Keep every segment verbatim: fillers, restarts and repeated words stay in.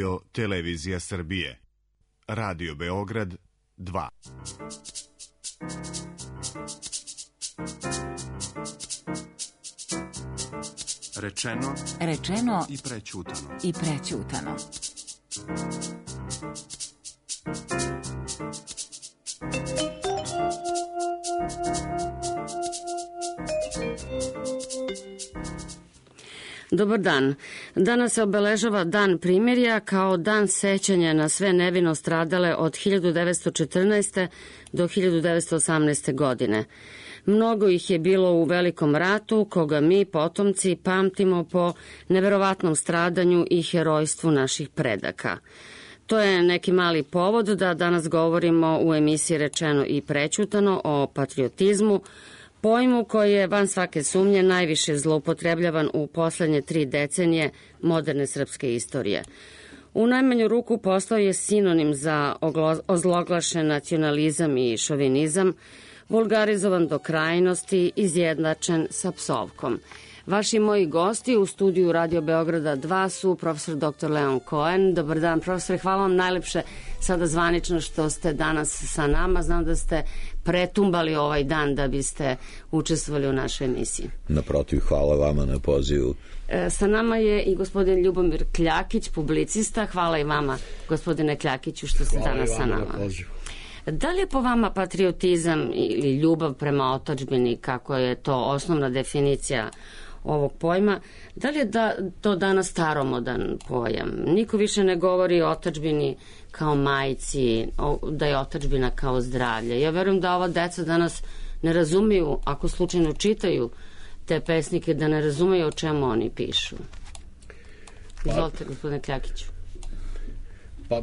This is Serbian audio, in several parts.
Radio Televizija Srbije. Radio Beograd dva. Rečeno, rečeno i prećutano. I prećutano. Dobar dan. Danas se obeležava Dan primirja kao dan sećanja na sve nevino stradale od hiljadu devetsto četrnaeste. do hiljadu devetsto osamnaeste. godine. Mnogo ih je bilo u Velikom ratu, koga mi, potomci, pamtimo po neverovatnom stradanju i herojstvu naših predaka. To je neki mali povod da danas govorimo u emisiji Rečeno i prećutano o patriotizmu, pojmu koji je van svake sumnje najviše zloupotrebljavan u poslednje tri decenije moderne srpske istorije. U najmanju ruku postao je sinonim za ozloglašen nacionalizam i šovinizam, vulgarizovan do krajnosti, izjednačen sa psovkom. Vaši moji gosti u studiju Radio Beograda dva su profesor doktor Leon Cohen. Dobar dan, profesore, hvala vam najlepše sada zvanično što ste danas sa nama. Znam da ste pretumbali ovaj dan da biste učestvovali u našoj emisiji. Naprotiv, hvala vama na pozivu. E, sa nama je i gospodin Ljubomir Kljakić, publicista. Hvala i vama, gospodine Kljakiću, što ste hvala danas sa nama. Hvala i vama na pozivu. Da li je po vama patriotizam ili ljubav prema otadžbini, kako je to osnovna definicija ovog pojma, da li je da, to danas staromodan pojam? Niko više ne govori o otadžbini kao majci, o, da je otadžbina kao zdravlje. Ja verujem da ova deca danas ne razumiju, ako slučajno čitaju te pesnike, da ne razumeju o čemu oni pišu. Izvolite, pa, gospodine Kljakiću. Pa,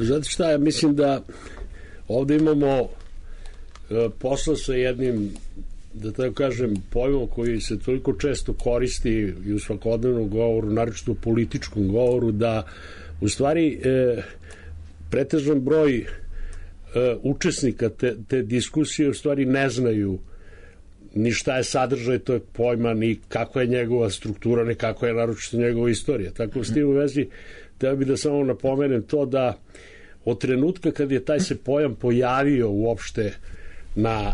znate šta, ja mislim da ovde imamo e, posla sa jednim, da tako kažem, pojmom koji se toliko često koristi i u svakodnevnom govoru, naročito u političkom govoru, da u stvari e, pretežan broj e, učesnika te, te diskusije u stvari ne znaju ni šta je sadržaj tog pojma, ni kakva je njegova struktura, ni kakva je naročito njegova istorija. Tako s tim u vezi, treba bi da samo napomenem to da od trenutka kad je taj se pojam pojavio uopšte na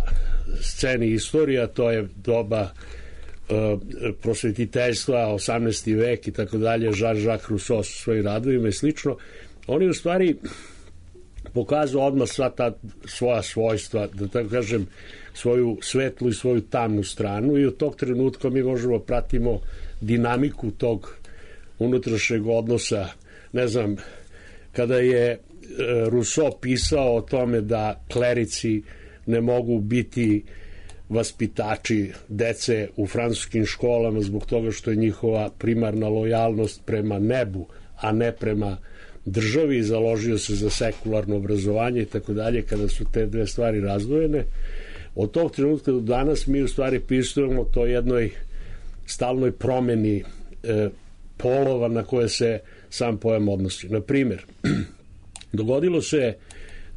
sceni istorija, to je doba uh, prosvetiteljstva, osamnaesti vek i tako dalje, Jean-Jacques Rousseau sa svojim radovima i slično, oni u stvari pokazuju odmah sva ta svoja svojstva, da tako kažem, svoju svetlu i svoju tamnu stranu, i od tog trenutka mi možemo pratimo dinamiku tog unutrašnjeg odnosa. Ne znam, kada je Rousseau pisao o tome da klerici ne mogu biti vaspitači dece u francuskim školama zbog toga što je njihova primarna lojalnost prema nebu, a ne prema državi, založio se za sekularno obrazovanje i tako dalje, kada su te dve stvari razdvojene. Od tog trenutka do danas mi u stvari pisujemo to jednoj stalnoj promeni e, polova na koje se sam pojam odnosi. Na primjer, dogodilo se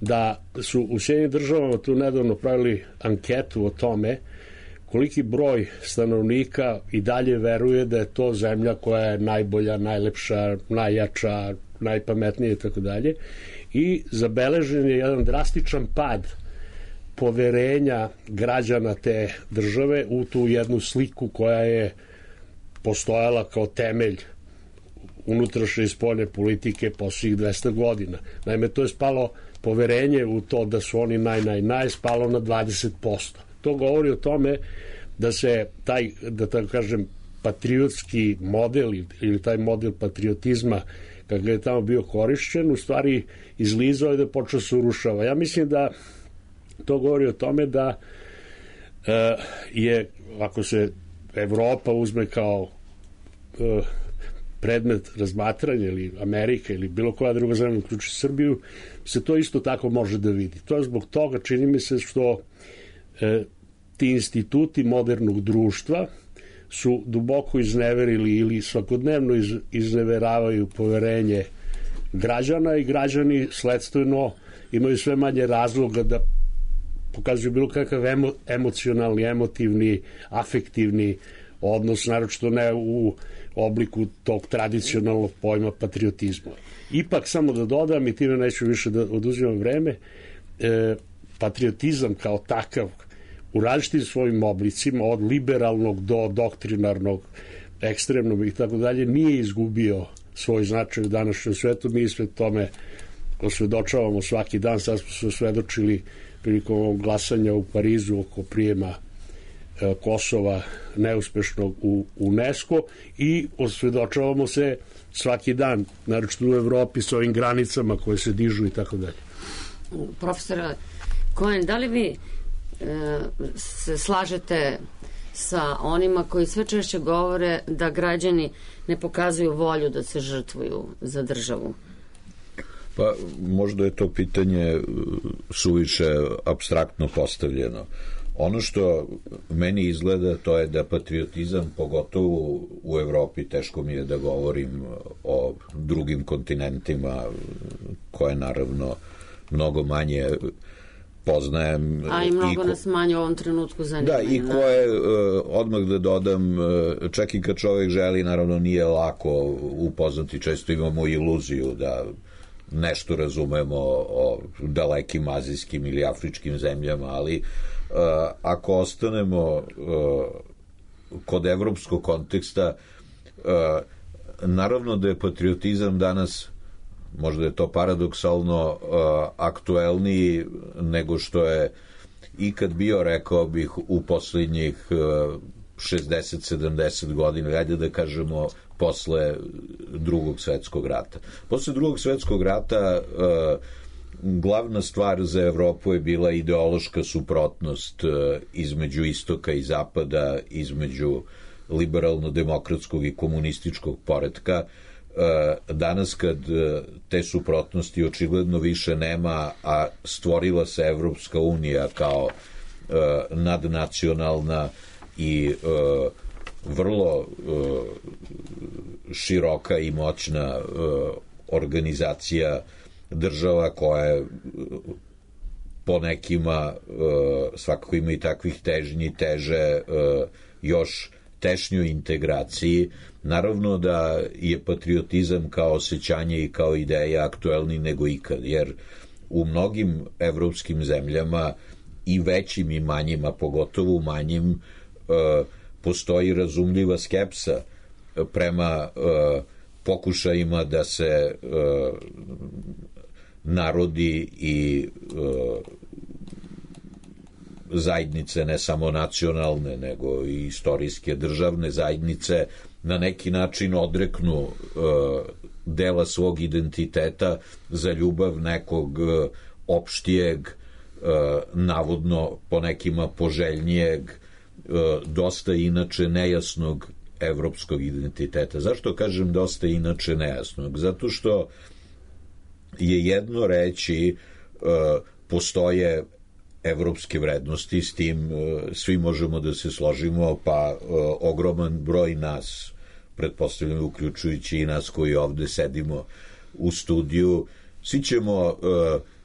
da su u Sjedinjenim državama tu nedavno pravili anketu o tome koliki broj stanovnika i dalje veruje da je to zemlja koja je najbolja, najlepša, najjača, najpametnija i tako dalje, i zabeležen je jedan drastičan pad poverenja građana te države u tu jednu sliku koja je postojala kao temelj unutrašnje i spoljne politike posljednjih dvesta godina. Naime, to je spalo poverenje u to da su oni naj, naj, naj, spalo na dvadeset posto. To govori o tome da se taj, da tako kažem, patriotski model ili taj model patriotizma kako je tamo bio korišćen, u stvari izlizao i da počeo se urušava. Ja mislim da to govori o tome da e, je, ako se Evropa uzme kao e, predmet razmatranja ili Amerika ili bilo koja druga zemlja, uključi Srbiju, se to isto tako može da vidi. To je zbog toga, čini mi se, što e, ti instituti modernog društva su duboko izneverili ili svakodnevno iz, izneveravaju poverenje građana, i građani sledstveno imaju sve manje razloga da pokazuju bilo kakav emo, emocionalni, emotivni, afektivni odnos, naročito ne u obliku tog tradicionalnog pojma patriotizma. Ipak, samo da dodam, i time neću više da oduzimam vreme, e, patriotizam kao takav u različitim svojim oblicima, od liberalnog do doktrinarnog, ekstremnog i tako dalje, nije izgubio svoj značaj u današnjem svetu. Mi sve tome osvedočavamo svaki dan. Sad smo se osvedočili prilikom glasanja u Parizu oko prijema e, Kosova neuspešnog u UNESCO i osvedočavamo se svaki dan, naročito u Evropi, s ovim granicama koje se dižu i tako dalje. Profesora Cohen, da li vi e, se slažete sa onima koji sve češće govore da građani ne pokazuju volju da se žrtvuju za državu? Pa možda je to pitanje suviše apstraktno postavljeno. Ono što meni izgleda, to je da patriotizam, pogotovo u Evropi, teško mi je da govorim o drugim kontinentima koje naravno mnogo manje poznajem. A i mnogo i ko... nas manje u ovom trenutku zanima. Da, i koje, odmah da dodam, čak i kad čovjek želi, naravno nije lako upoznati, često imamo iluziju da nešto razumemo o dalekim azijskim ili afričkim zemljama, ali uh, ako ostanemo uh, kod evropskog konteksta, uh, naravno da je patriotizam danas, možda je to paradoksalno, uh, aktuelniji nego što je ikad bio, rekao bih, u poslednjih uh, šezdeset sedamdeset godina, ajde da kažemo posle drugog svetskog rata. Posle drugog svetskog rata uh, glavna stvar za Evropu je bila ideološka suprotnost uh, između istoka i zapada, između liberalno-demokratskog i komunističkog poretka. Uh, danas kad uh, te suprotnosti očigledno više nema, a stvorila se Evropska unija kao uh, nadnacionalna i uh, vrlo uh, široka i moćna uh, organizacija država koja je po nekima uh, svakako ima i takvih težnji, teže uh, još tešnjoj integraciji. Naravno da je patriotizam kao osjećanje i kao ideja aktuelni nego ikad, jer u mnogim evropskim zemljama i većim i manjima, pogotovo u manjim, uh, postoji razumljiva skepsa prema uh, pokušajima da se uh, narodi i uh, zajednice, ne samo nacionalne, nego i istorijske državne zajednice, na neki način odreknu uh, dela svog identiteta za ljubav nekog uh, opštijeg, uh, navodno po nekima poželjnijeg, dosta inače nejasnog evropskog identiteta. Zašto kažem dosta inače nejasnog? Zato što je jedno reći postoje evropske vrednosti, s tim svi možemo da se složimo, pa ogroman broj nas, pretpostavljam uključujući i nas koji ovde sedimo u studiju, svi ćemo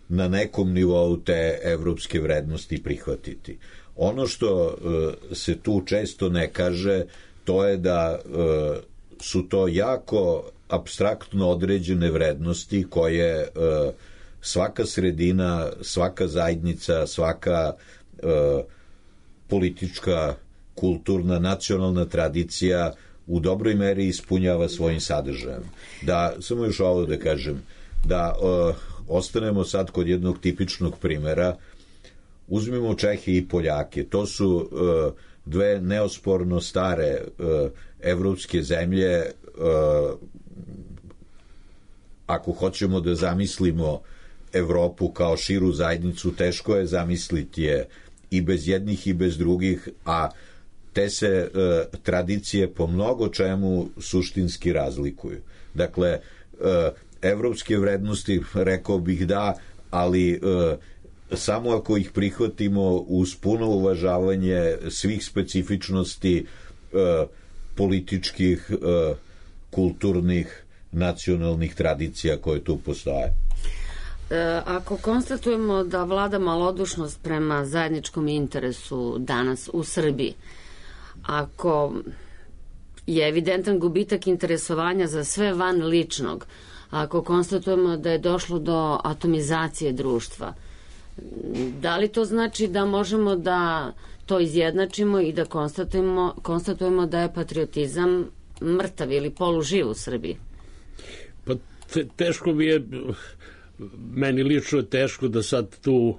na nekom nivou te evropske vrednosti prihvatiti. Ono što uh, se tu često ne kaže, to je da uh, su to jako apstraktno određene vrednosti koje uh, svaka sredina, svaka zajednica, svaka uh, politička, kulturna, nacionalna tradicija u dobroj meri ispunjava svojim sadržajem. Da, samo još ovo da kažem, da uh, ostanemo sad kod jednog tipičnog primera. Uzmimo Čehe i Poljake. To su uh, dve neosporno stare uh, evropske zemlje. Uh, ako hoćemo da zamislimo Evropu kao širu zajednicu, teško je zamisliti je i bez jednih i bez drugih, a te se uh, tradicije po mnogo čemu suštinski razlikuju. Dakle, uh, evropske vrednosti, rekao bih da, ali uh, samo ako ih prihvatimo uz puno uvažavanje svih specifičnosti uh, političkih, uh, kulturnih, nacionalnih tradicija koje tu postoje. E, ako konstatujemo da vlada malodušnost prema zajedničkom interesu danas u Srbiji, ako je evidentan gubitak interesovanja za sve van ličnog. Ako konstatujemo da je došlo do atomizacije društva, da li to znači da možemo da to izjednačimo i da konstatujemo, konstatujemo da je patriotizam mrtav ili poluživ u Srbiji? Pa te, teško mi je, meni lično je teško da sad tu,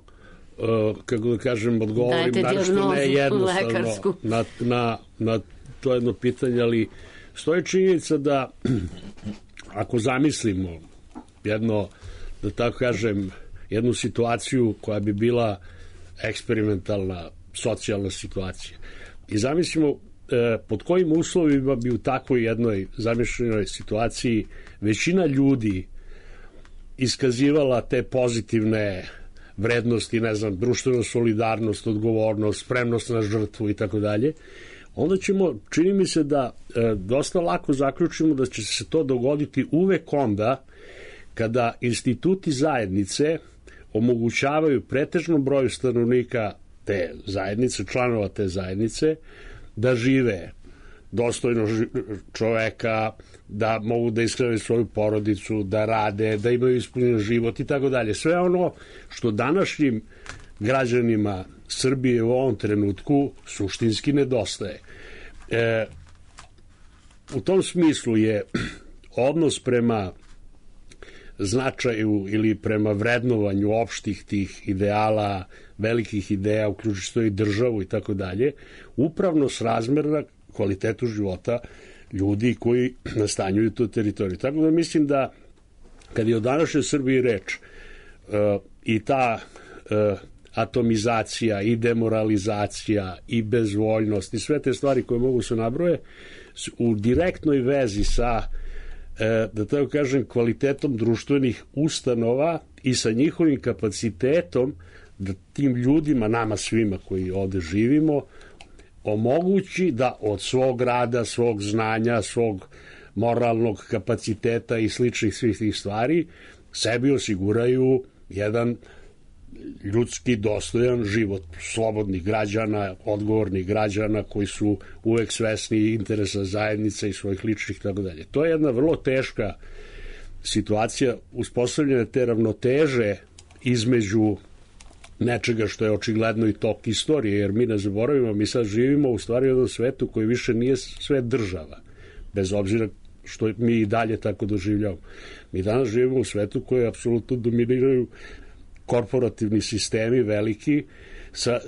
uh, kako da kažem, odgovorim našto ne jednostavno na, na, na to jedno pitanje, ali stoji činjenica da ako zamislimo jedno, da tako kažem, jednu situaciju koja bi bila eksperimentalna socijalna situacija i zamislimo e, pod kojim uslovima bi u takvoj jednoj zamišljenoj situaciji većina ljudi iskazivala te pozitivne vrednosti, ne znam, društvenu solidarnost, odgovornost, spremnost na žrtvu i tako dalje, onda ćemo, čini mi se da e, dosta lako zaključimo da će se to dogoditi uvek onda kada instituti zajednice omogućavaju pretežnom broju stanovnika te zajednice, članova te zajednice, da žive dostojno čoveka, da mogu da ishrane svoju porodicu, da rade, da imaju ispunjen život i tako dalje. Sve ono što današnjim građanima Srbije u ovom trenutku suštinski nedostaje. E, u tom smislu je odnos prema značaju ili prema vrednovanju opštih tih ideala, velikih ideja, uključujući i državu i tako dalje, upravno srazmerna kvalitetu života ljudi koji nastanjuju tu teritoriju. Tako da mislim da kad je o današnjoj Srbiji reč uh, i ta uh, atomizacija i demoralizacija i bezvoljnost i sve te stvari koje mogu se nabroje u direktnoj vezi sa, da tako kažem, kvalitetom društvenih ustanova i sa njihovim kapacitetom da tim ljudima, nama svima koji ovde živimo, omogući da od svog rada, svog znanja, svog moralnog kapaciteta i sličnih svih tih stvari sebi osiguraju jedan ljudski dostojan život slobodnih građana, odgovornih građana koji su uvek svesni interesa zajednice i svojih ličnih tako dalje. To je jedna vrlo teška situacija uspostavljene te ravnoteže između nečega što je očigledno i tok istorije, jer mi ne zaboravimo, mi sad živimo u stvari u jednom svetu koji više nije sve država, bez obzira što mi i dalje tako doživljamo. Mi danas živimo u svetu koji apsolutno dominiraju korporativni sistemi veliki, sa,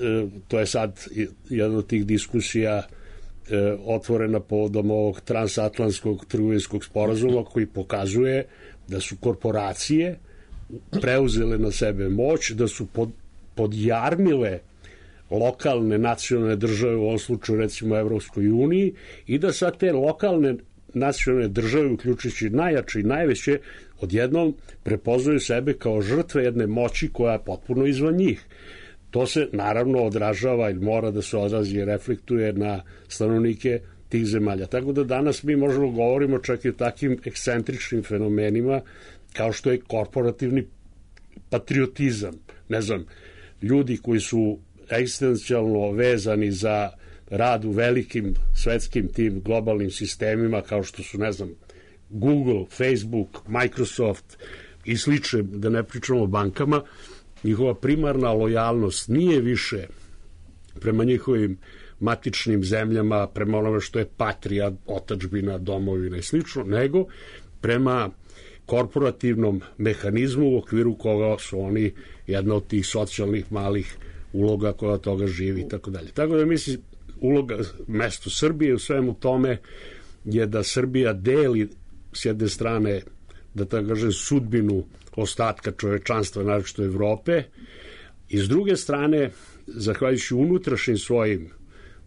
to je sad jedna od tih diskusija e, otvorena povodom ovog transatlantskog trgovinskog sporazuma koji pokazuje da su korporacije preuzele na sebe moć, da su pod, podjarmile lokalne nacionalne države, u ovom slučaju recimo Evropskoj uniji, i da sad te lokalne nacionalne države, uključujući najjače i najveće, odjednom prepoznaju sebe kao žrtve jedne moći koja je potpuno izvan njih. To se naravno odražava ili mora da se odrazi i reflektuje na stanovnike tih zemalja. Tako da danas mi možemo govorimo čak i o takvim ekscentričnim fenomenima kao što je korporativni patriotizam. Ne znam, ljudi koji su egzistencijalno vezani za rad u velikim svetskim tim globalnim sistemima kao što su, ne znam, Google, Facebook, Microsoft i slične, da ne pričamo o bankama, njihova primarna lojalnost nije više prema njihovim matičnim zemljama, prema onome što je patrija, otadžbina, domovina i slično, nego prema korporativnom mehanizmu u okviru koga su oni jedna od tih socijalnih malih uloga koja od toga živi i tako dalje. Tako da mislim, uloga, mesto Srbije u svemu tome je da Srbija deli s jedne strane, da tako kažem, sudbinu ostatka čovečanstva, naročito Evrope, i s druge strane, zahvaljujući unutrašnjim svojim,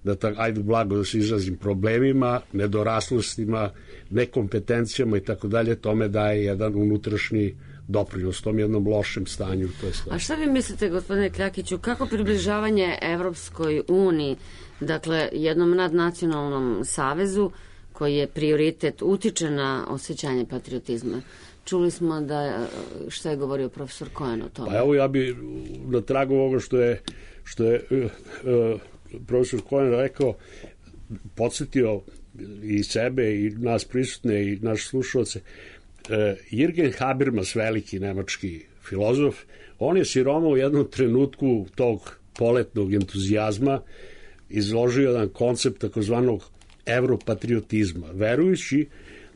da tako, ajde blago da se izrazim, problemima, nedoraslostima, nekompetencijama i tako dalje, tome daje jedan unutrašnji doprinos tom jednom lošem stanju. To je A šta vi mislite, gospodine Kljakiću, kako približavanje Evropskoj uniji, dakle jednom nadnacionalnom savezu koji je prioritet, utiče na osjećanje patriotizma? Čuli smo da, šta je govorio profesor Cohen o tome. Pa evo, ja bi na tragu ovoga što je, što je uh, uh, profesor Cohen rekao, podsjetio i sebe i nas prisutne i naše slušalce. Jürgen Habermas, veliki nemački filozof, on je siroma u jednom trenutku tog poletnog entuzijazma izložio jedan koncept takozvanog evropatriotizma, verujući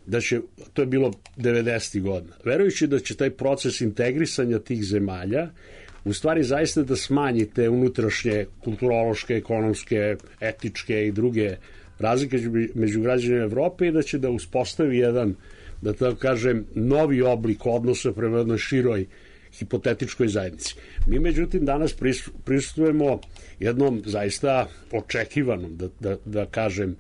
da će, to je bilo devedesetih godina, verujući da će taj proces integrisanja tih zemalja u stvari zaista da smanji te unutrašnje kulturološke, ekonomske, etičke i druge razlike među građanima Evrope i da će da uspostavi jedan, da tako kažem, novi oblik odnosa prema jednoj široj hipotetičkoj zajednici. Mi međutim danas prisustujemo jednom zaista očekivanom, da, da, da kažem,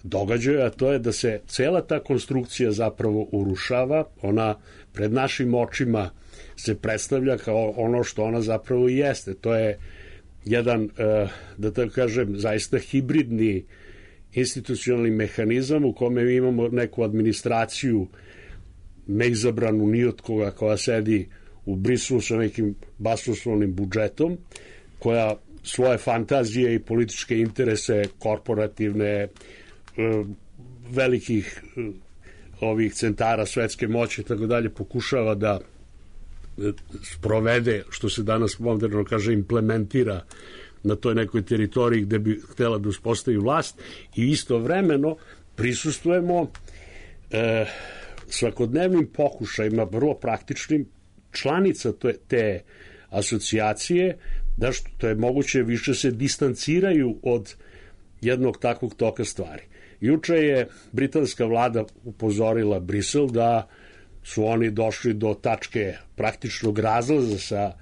događaju, a to je da se cela ta konstrukcija zapravo urušava, ona pred našim očima se predstavlja kao ono što ona zapravo i jeste. To je jedan, da tako kažem, zaista hibridni institucionalni mehanizam u kome mi imamo neku administraciju neizabranu ni od koga, koja sedi u Briselu sa nekim basnoslovnim budžetom, koja svoje fantazije i političke interese korporativne, velikih ovih centara svetske moći i tako dalje pokušava da sprovede, što se danas moderno kaže, implementira na toj nekoj teritoriji gde bi htela da uspostavi vlast i istovremeno prisustujemo e, svakodnevnim pokušajima, vrlo praktičnim, članica te, te asocijacije, da što je moguće više se distanciraju od jednog takvog toka stvari. Juče je britanska vlada upozorila Brisel da su oni došli do tačke praktičnog razlaza sa,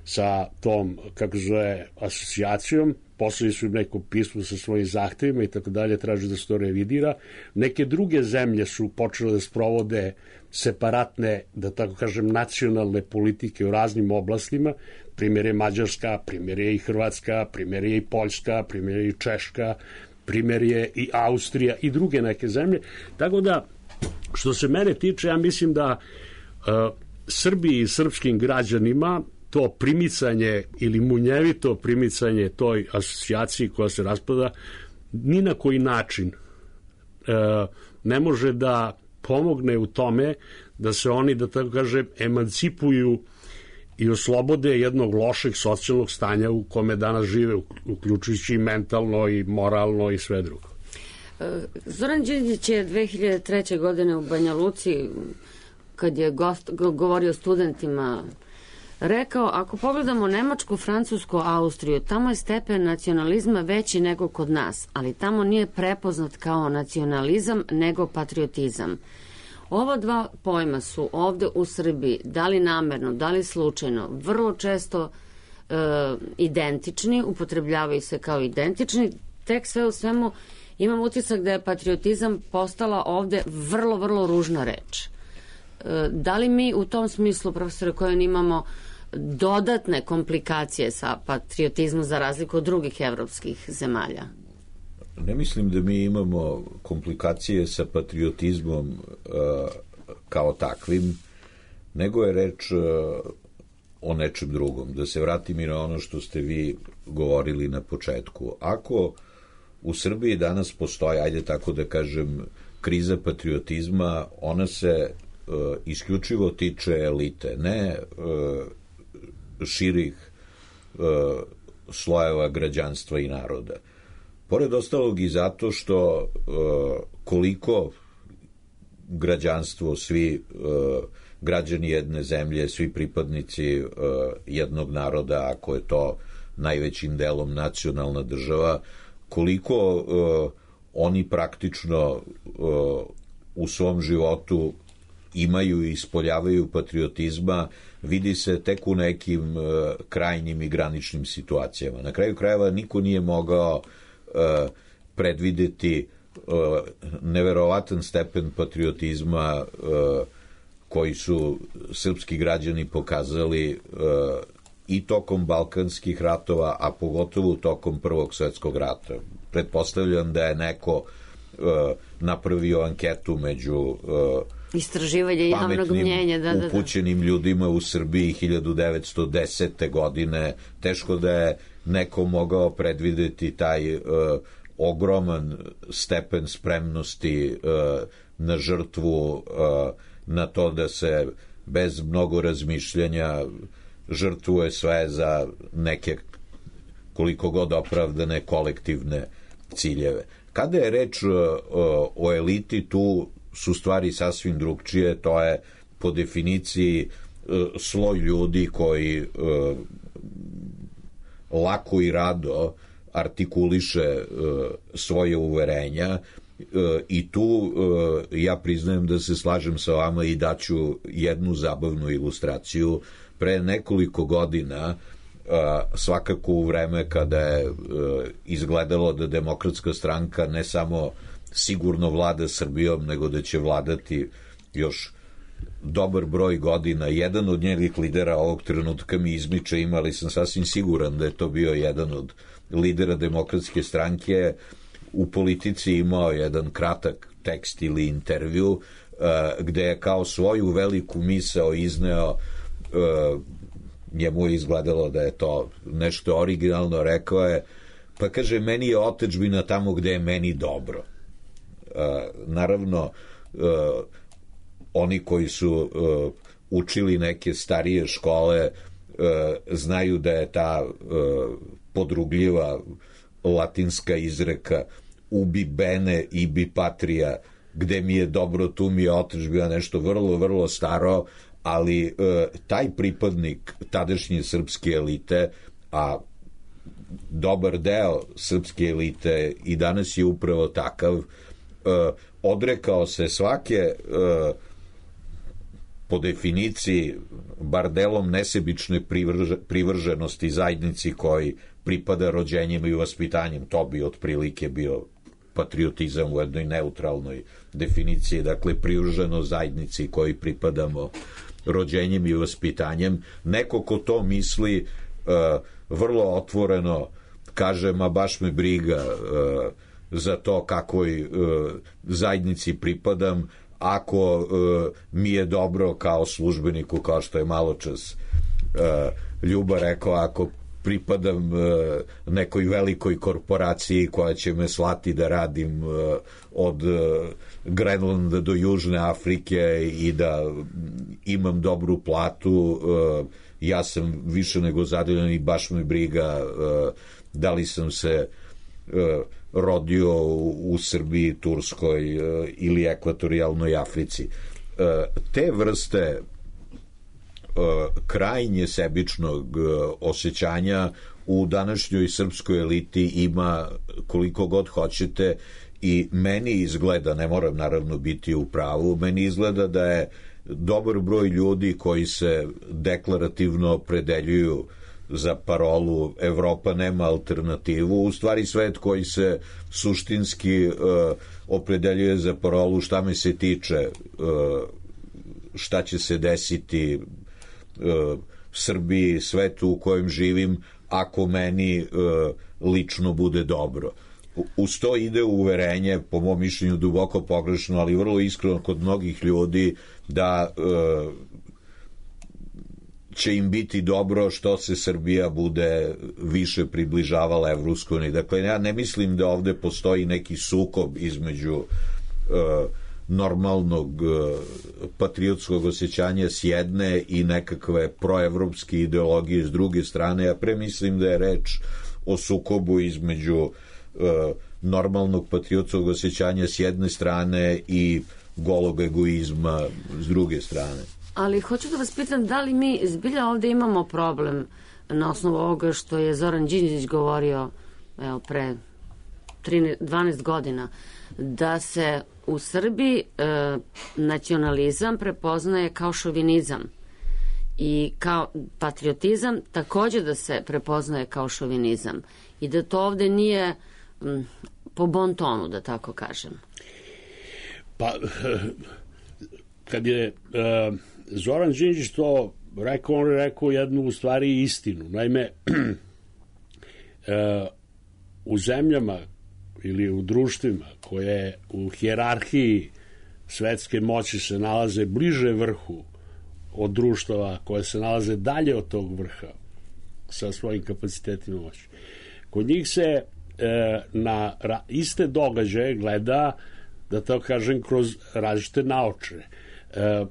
sa tom, kako zove, asocijacijom, poslali su im neko pismo sa svojim zahtevima i tako dalje, traži da se to revidira. Neke druge zemlje su počele da sprovode separatne, da tako kažem, nacionalne politike u raznim oblastima. Primjer je Mađarska, primjer je i Hrvatska, primjer je i Poljska, primjer je i Češka, primjer je i Austrija i druge neke zemlje. Tako da, što se mene tiče, ja mislim da uh, Srbiji i srpskim građanima to primicanje ili munjevito primicanje toj asocijaciji koja se raspada ni na koji način uh, ne može da pomogne u tome da se oni, da tako kažem, emancipuju i oslobode jednog lošeg socijalnog stanja u kome danas žive, uključujući i mentalno i moralno i sve drugo. Zoran Đinđić je dve hiljade treće. godine u Banja Luci, kad je gost, govorio studentima, rekao, ako pogledamo Nemačku, Francusku, Austriju, tamo je stepen nacionalizma veći nego kod nas, ali tamo nije prepoznat kao nacionalizam, nego patriotizam. Ova dva pojma su ovde u Srbiji, da li namerno, da li slučajno, vrlo često e, identični, upotrebljavaju se kao identični, tek sve u svemu imam utisak da je patriotizam postala ovde vrlo, vrlo ružna reč. E, da li mi u tom smislu, profesore, koje imamo dodatne komplikacije sa patriotizmom za razliku od drugih evropskih zemalja? Ne mislim da mi imamo komplikacije sa patriotizmom uh, kao takvim, nego je reč uh, o nečem drugom. Da se vratim i na ono što ste vi govorili na početku. Ako u Srbiji danas postoji, ajde tako da kažem, kriza patriotizma, ona se uh, isključivo tiče elite, ne uh, širih uh, slojeva građanstva i naroda. Pored ostalog i zato što uh, koliko građanstvo, svi uh, građani jedne zemlje, svi pripadnici uh, jednog naroda, ako je to najvećim delom nacionalna država, koliko uh, oni praktično uh, u svom životu imaju i ispoljavaju patriotizma, vidi se tek u nekim uh, krajnjim i graničnim situacijama. Na kraju krajeva niko nije mogao Uh, predvideti uh, neverovatan stepen patriotizma uh, koji su srpski građani pokazali uh, i tokom balkanskih ratova, a pogotovo tokom Prvog svetskog rata. Pretpostavljam da je neko uh, napravio anketu među uh, istraživanje javnog mnjenja, da, da, da. upućenim ljudima u Srbiji hiljadu devetsto desete. godine. Teško da je neko mogao predvideti taj uh, ogroman stepen spremnosti uh, na žrtvu, uh, na to da se bez mnogo razmišljanja žrtvuje sve za neke koliko god opravdane kolektivne ciljeve. Kada je reč uh, o eliti, tu su stvari sasvim drugčije, to je po definiciji uh, sloj ljudi koji uh, lako i rado artikuliše uh, svoje uverenja uh, i tu uh, ja priznajem da se slažem sa vama i daću jednu zabavnu ilustraciju. Pre nekoliko godina, uh, svakako u vreme kada je uh, izgledalo da Demokratska stranka ne samo sigurno vlada Srbijom, nego da će vladati još dobar broj godina, jedan od njenih lidera ovog trenutka mi izmiče, imali sam sasvim siguran da je to bio jedan od lidera Demokratske stranke, u Politici imao jedan kratak tekst ili intervju uh, gde je kao svoju veliku misao izneo, uh, njemu je izgledalo da je to nešto originalno, rekao je, pa kaže, meni je otadžbina tamo gde je meni dobro. Uh, naravno, uh, oni koji su uh, učili neke starije škole uh, znaju da je ta uh, podrugljiva latinska izreka ubi bene ibi patria, gde mi je dobro tu mi je otadžbina, nešto vrlo, vrlo staro, ali uh, taj pripadnik tadašnje srpske elite, a dobar deo srpske elite i danas je upravo takav, uh, odrekao se svake uh, po definiciji bar delom nesebične privrže, privrženosti zajednici koji pripada rođenjem i vaspitanjem. To bi otprilike bio patriotizam u jednoj neutralnoj definiciji, dakle privrženo zajednici koji pripadamo rođenjem i vaspitanjem. Neko ko to misli uh, vrlo otvoreno kaže, ma baš me briga uh, za to kakvoj uh, zajednici pripadam, ako uh, mi je dobro kao službeniku, kao što je maločas uh, Ljuba rekao, ako pripadam uh, nekoj velikoj korporaciji koja će me slati da radim uh, od uh, Grenlanda do Južne Afrike i da imam dobru platu, uh, ja sam više nego zadovoljan i baš me briga uh, da li sam se uh, rodio u, u Srbiji, Turskoj uh, ili ekvatorijalnoj Africi. Uh, te vrste krajnje sebičnog osjećanja u današnjoj srpskoj eliti ima koliko god hoćete i meni izgleda, ne moram naravno biti u pravu, meni izgleda da je dobar broj ljudi koji se deklarativno opredeljuju za parolu Evropa nema alternativu, u stvari svet koji se suštinski uh, opredeljuje za parolu šta me se tiče, uh, šta će se desiti uh, Srbiji, svetu u kojem živim, ako meni uh, lično bude dobro. Uz to ide uverenje, po mom mišljenju duboko pogrešno, ali vrlo iskreno kod mnogih ljudi, da uh, će im biti dobro što se Srbija bude više približavala Evropskoj uniji. Dakle, ja ne mislim da ovde postoji neki sukob između uh, normalnog uh, patriotskog osjećanja s jedne i nekakve proevropske ideologije s druge strane. Ja premislim da je reč o sukobu između uh, normalnog patriotskog osjećanja s jedne strane i golog egoizma s druge strane. Ali hoću da vas pitam, da li mi zbilja ovde imamo problem na osnovu ovoga što je Zoran Đinđić govorio evo, pre dvanaest godina, da se u Srbiji e, nacionalizam prepoznaje kao šovinizam i kao patriotizam takođe da se prepoznaje kao šovinizam i da to ovde nije m, po bon tonu, da tako kažem. Pa, kad je e, Zoran Đinđić to rekao, on je rekao jednu u stvari istinu. Naime, e, u zemljama ili u društvima koje u hijerarhiji svetske moći se nalaze bliže vrhu od društava koje se nalaze dalje od tog vrha sa svojim kapacitetima moći. Kod njih se e, na ra, iste događaje gleda, da to kažem, kroz različite naočare. E,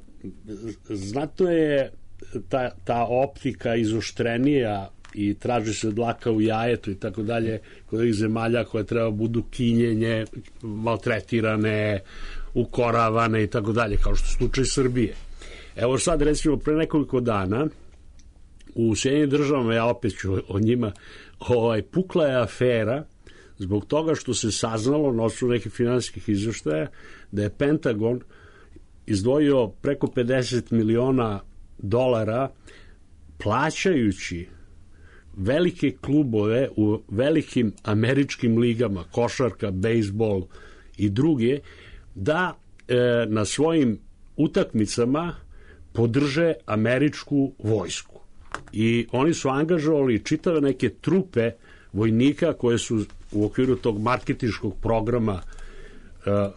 znatno je ta, ta optika izoštrenija i traži se dlaka u jajetu i tako dalje kod ovih zemalja koje treba budu kinjenje, maltretirane, ukoravane i tako dalje, kao što je slučaj Srbije. Evo sad, recimo, pre nekoliko dana u Sjedinjenim državama, ja opet ću o njima, ovaj, pukla je afera zbog toga što se saznalo na osnovu nekih finansijskih izveštaja da je Pentagon izdvojio preko pedeset miliona dolara plaćajući velike klubove u velikim američkim ligama, košarka, bejsbol i druge, da e, na svojim utakmicama podrže američku vojsku. I oni su angažovali čitave neke trupe vojnika koje su u okviru tog marketinškog programa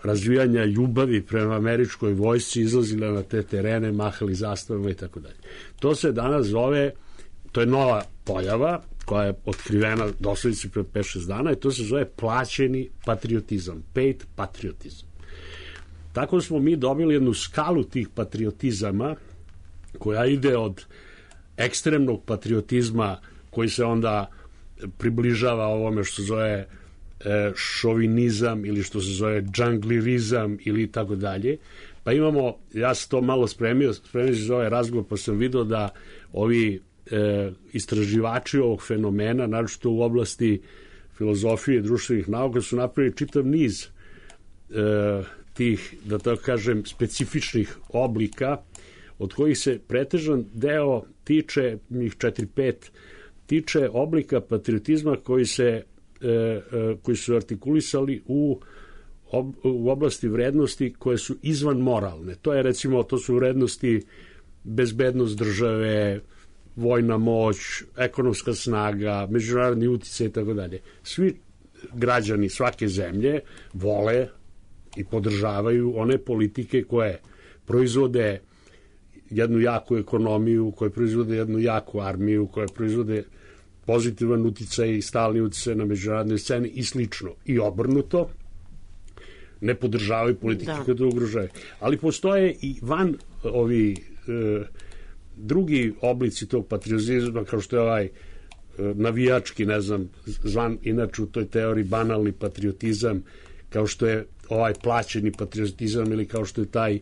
razvijanja ljubavi prema američkoj vojsci izlazile na te terene, mahali zastavama i tako dalje. To se danas zove, to je nova pojava koja je otkrivena doslovce pre pet šest dana i to se zove plaćeni patriotizam, paid patriotizam. Tako smo mi dobili jednu skalu tih patriotizama koja ide od ekstremnog patriotizma koji se onda približava ovome što se zove šovinizam ili što se zove džanglirizam ili tako dalje. Pa imamo, ja sam to malo spremio, spremio za ovaj razgovor, pa sam vidio da ovi e, istraživači ovog fenomena, naročito u oblasti filozofije i društvenih nauka, su napravili čitav niz e, tih, da tako kažem, specifičnih oblika, od kojih se pretežan deo tiče, njih četiri pet, tiče oblika patriotizma koji se koji su artikulisali u, u oblasti vrednosti koje su izvan moralne. To je, recimo, to su vrednosti bezbednost države, vojna moć, ekonomska snaga, međunarodni uticaj i tako dalje. Svi građani svake zemlje vole i podržavaju one politike koje proizvode jednu jaku ekonomiju, koje proizvode jednu jaku armiju, koje proizvode pozitivan uticaj i stalni uticaj na međunarodnoj sceni i slično. I obrnuto, ne podržavaju politike da. Koje to ugrožaju. Ali postoje i van ovi e, drugi oblici tog patriotizma, kao što je ovaj e, navijački, ne znam, zvan inače u toj teoriji banalni patriotizam, kao što je ovaj plaćeni patriotizam ili kao što je taj,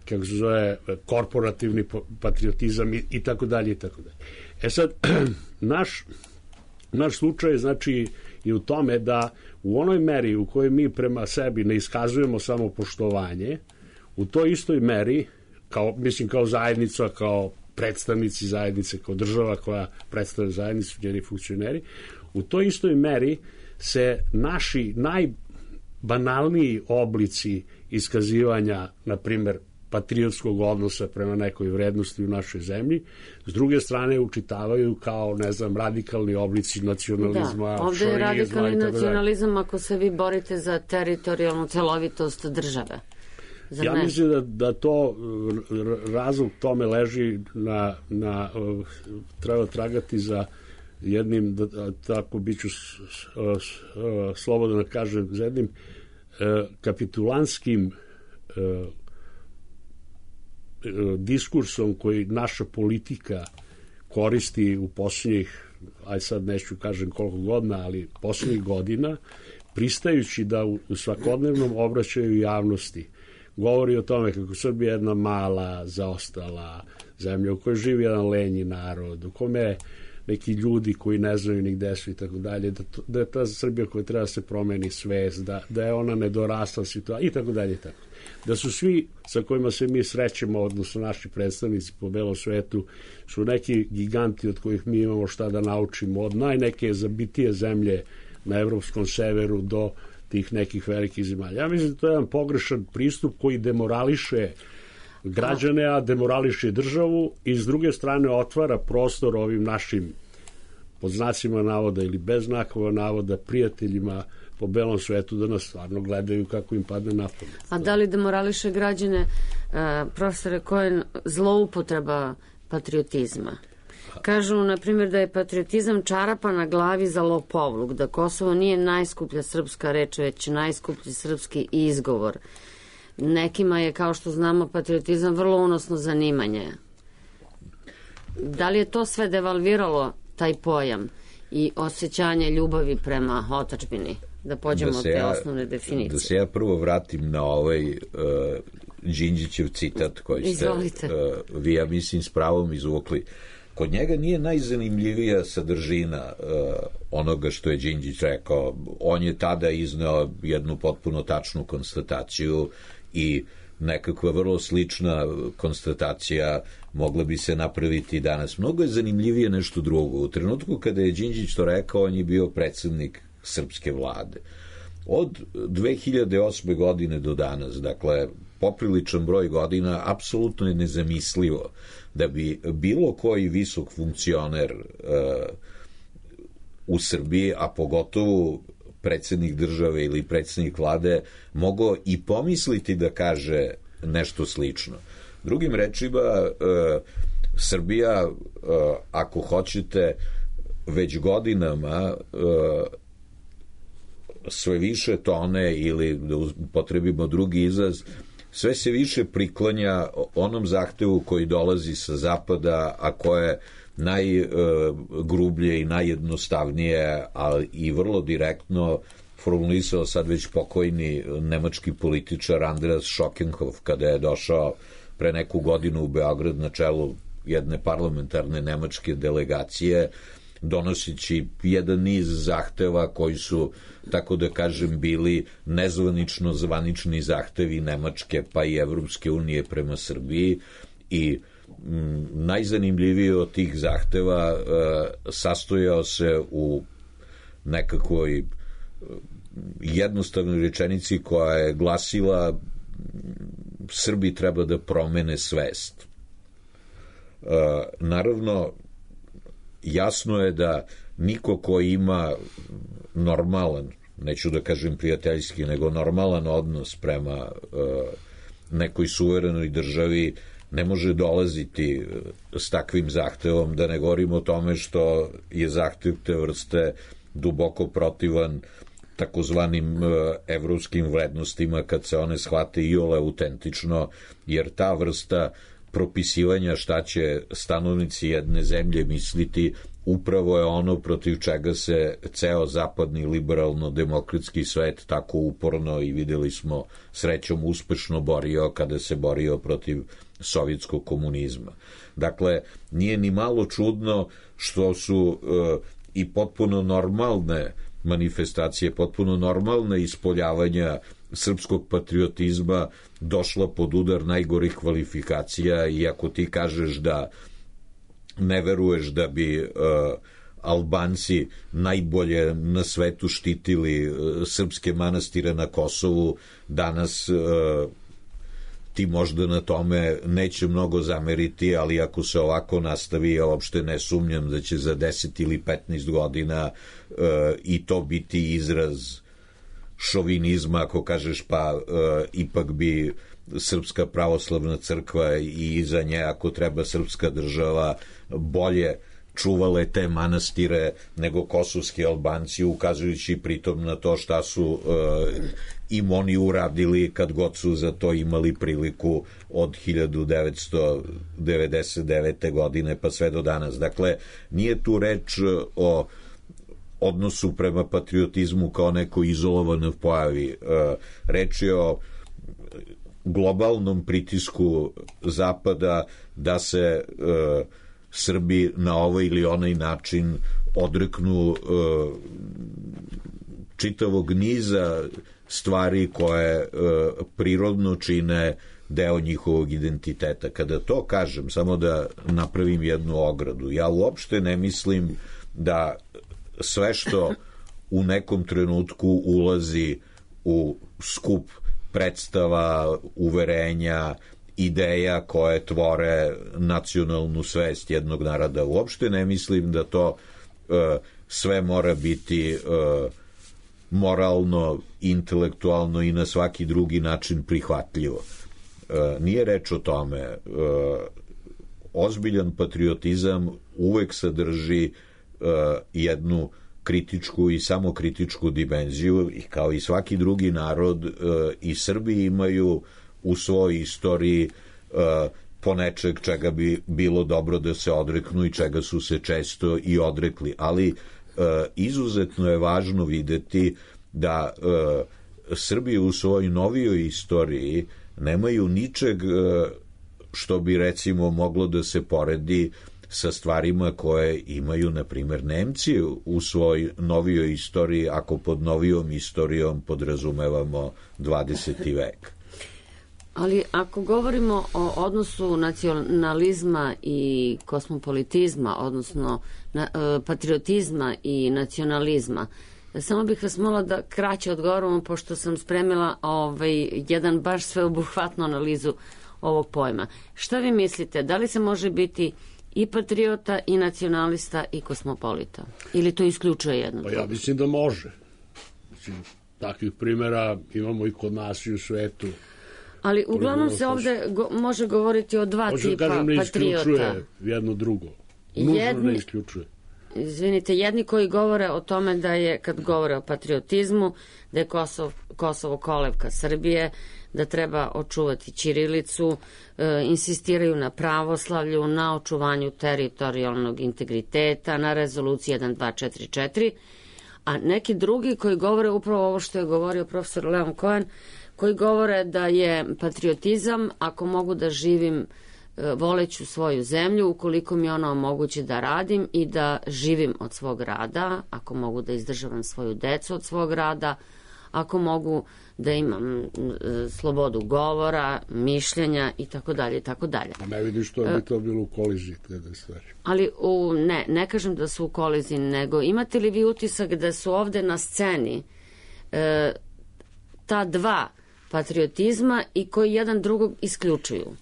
kako se zove, korporativni patriotizam i, i tako dalje i tako dalje. E sad, naš, naš slučaj znači i u tome da u onoj meri u kojoj mi prema sebi ne iskazujemo samo poštovanje, u toj istoj meri, kao, mislim kao zajednica, kao predstavnici zajednice, kao država koja predstavlja zajednicu, njeni funkcioneri, u toj istoj meri se naši najbanalniji oblici iskazivanja, na primer, patriotskog odnosa prema nekoj vrednosti u našoj zemlji, s druge strane učitavaju kao, ne znam, radikalni oblici nacionalizma, da, ovde je radikalni nacionalizam ako se vi borite za teritorijalnu celovitost države. Za ja ne. mislim da, da to razlog tome leži na, na treba tragati za jednim, da, tako biću slobodno da kažem, za jednim kapitulanskim diskursom koji naša politika koristi u posljednjih, aj sad neću kažem koliko godina, ali posljednjih godina, pristajući da u, u svakodnevnom obraćaju javnosti govori o tome kako Srbija je jedna mala, zaostala zemlja u kojoj živi jedan lenji narod, u kome neki ljudi koji ne znaju ni gde su i tako dalje, da, to, da je ta Srbija koja treba da se promeni svest, da, da je ona nedorasla situacija i tako dalje i tako. Da su svi sa kojima se mi srećemo, odnosno naši predstavnici po belom svetu, su neki giganti od kojih mi imamo šta da naučimo, od najneke zabitije zemlje na evropskom severu do tih nekih velikih zemalja. Ja mislim da to je jedan pogrešan pristup koji demorališe građane, a demorališe državu i s druge strane otvara prostor ovim našim, pod znacima navoda ili bez znakova navoda, prijateljima po belom svetu da nas stvarno gledaju kako im padne na pamet. A da li demorališe građane, profesore, koje je zloupotreba patriotizma? Kažu, na primjer, da je patriotizam čarapa na glavi za lopovluk, da Kosovo nije najskuplja srpska reč, već najskuplji srpski izgovor. Nekima je, kao što znamo, patriotizam vrlo unosno zanimanje. Da li je to sve devalviralo taj pojam i osjećanje ljubavi prema otadžbini? Da pođemo da od te ja, osnovne definicije. Da se ja prvo vratim na ovaj uh, Đinđićev citat koji ste uh, vi, ja mislim, s pravom izvukli. Kod njega nije najzanimljivija sadržina uh, onoga što je Đinđić rekao. On je tada izneo jednu potpuno tačnu konstataciju i nekakva vrlo slična konstatacija mogla bi se napraviti danas. Mnogo je zanimljivije nešto drugo. U trenutku kada je Đinđić to rekao, on je bio predsednik srpske vlade. Od dve hiljade osme. godine do danas, dakle, popriličan broj godina, apsolutno je nezamislivo da bi bilo koji visok funkcioner uh, u Srbiji, a pogotovo predsednik države ili predsednik vlade, mogao i pomisliti da kaže nešto slično. Drugim rečima, uh, Srbija, uh, ako hoćete, već godinama uh, sve više tone, ili da upotrebimo drugi izraz, sve se više priklanja onom zahtevu koji dolazi sa zapada, a koje najgrublje i najjednostavnije, ali i vrlo direktno formulisao sad već pokojni nemački političar Andreas Schockenhof, kada je došao pre neku godinu u Beograd na čelu jedne parlamentarne nemačke delegacije, donosići jedan niz zahteva koji su, tako da kažem, bili nezvanično zvanični zahtevi Nemačke pa i Evropske unije prema Srbiji. I m, najzanimljiviji od tih zahteva e, sastojao se u nekakvoj jednostavnoj rečenici koja je glasila: Srbi treba da promene svest. E, naravno, jasno je da niko ko ima normalan, neću da kažem prijateljski, nego normalan odnos prema uh, nekoj suverenoj državi ne može dolaziti s takvim zahtevom, da ne govorimo o tome što je zahtev te vrste duboko protivan takozvanim uh, evropskim vrednostima kad se one shvate iole autentično, jer ta vrsta propisivanja šta će stanovnici jedne zemlje misliti upravo je ono protiv čega se ceo zapadni liberalno-demokratski svet tako uporno i videli smo srećom uspešno borio kada se borio protiv sovjetskog komunizma. Dakle, nije ni malo čudno što su e, i potpuno normalne manifestacije, potpuno normalne ispoljavanja srpskog patriotizma došla pod udar najgorih kvalifikacija, i ako ti kažeš da ne veruješ da bi uh, Albanci najbolje na svetu štitili uh, srpske manastire na Kosovu, danas uh, ti možda na tome neće mnogo zameriti, ali ako se ovako nastavi, ja uopšte ne sumnjam da će za deset ili petnaest godina uh, i to biti izraz šovinizma, ako kažeš pa uh, ipak bi Srpska pravoslavna crkva i iza nje, ako treba, srpska država bolje čuvale te manastire nego kosovski Albanci, ukazujući pritom na to šta su uh, im oni uradili kad god su za to imali priliku od hiljadu devetsto devedeset devete. godine pa sve do danas. Dakle, nije tu reč o odnosu prema patriotizmu kao neko izolovanoj pojavi. Uh, reč je o globalnom pritisku Zapada da se uh, Srbi na ovaj ili onaj način odreknu uh, čitavog niza stvari koje uh, prirodno čine deo njihovog identiteta. Kada to kažem, samo da napravim jednu ogradu, ja uopšte ne mislim da sve što u nekom trenutku ulazi u skup predstava, uverenja, ideja koje tvore nacionalnu svest jednog naroda. Uopšte ne mislim da to uh, sve mora biti uh, moralno, intelektualno i na svaki drugi način prihvatljivo. Uh, nije reč o tome. Uh, ozbiljan patriotizam uvek sadrži uh, jednu kritičku i samokritičku dimenziju i kao i svaki drugi narod uh, i Srbi imaju u svojoj istoriji uh, po nečeg čega bi bilo dobro da se odreknu i čega su se često i odrekli, ali uh, izuzetno je važno videti da uh, Srbi u svojoj novijoj istoriji nemaju ničeg uh, što bi recimo moglo da se poredi sa stvarima koje imaju, na primjer, Nemci u svojoj novijoj istoriji, ako pod novijom istorijom podrazumevamo dvadeseti vek. Ali ako govorimo o odnosu nacionalizma i kosmopolitizma, odnosno na, e, patriotizma i nacionalizma, samo bih vas molila da kraće odgovorimo, pošto sam spremila ovaj, jedan baš sveobuhvatnu analizu ovog pojma. Šta vi mislite, da li se može biti i patriota, i nacionalista, i kosmopolita? Ili to isključuje jedno? Pa ja mislim da može. Mislim, takvih primjera imamo i kod nas i u svetu. Ali uglavnom se ovde go, može govoriti o dva može tipa patriota. Može da kažem, ne isključuje jedno drugo. Nužno jedni, ne isključuje. Izvinite, jedni koji govore o tome da je, kad govore o patriotizmu, da je Kosovo, Kosovo kolevka Srbije, da treba očuvati ćirilicu, e, insistiraju na pravoslavlju, na očuvanju teritorijalnog integriteta, na rezoluciji jedan dva četiri četiri, a neki drugi koji govore upravo ovo što je govorio profesor Leon Cohen, koji govore da je patriotizam ako mogu da živim e, voleću svoju zemlju, ukoliko mi ona omogući da radim i da živim od svog rada, ako mogu da izdržavam svoju decu od svog rada, ako mogu da imam e, slobodu govora, mišljenja i tako dalje i tako dalje. A ne vidim što bi to bilo u koliziji te da stvari. Ali u, ne, ne kažem da su u koliziji, nego imate li vi utisak da su ovde na sceni e, ta dva patriotizma i koji jedan drugog isključuju?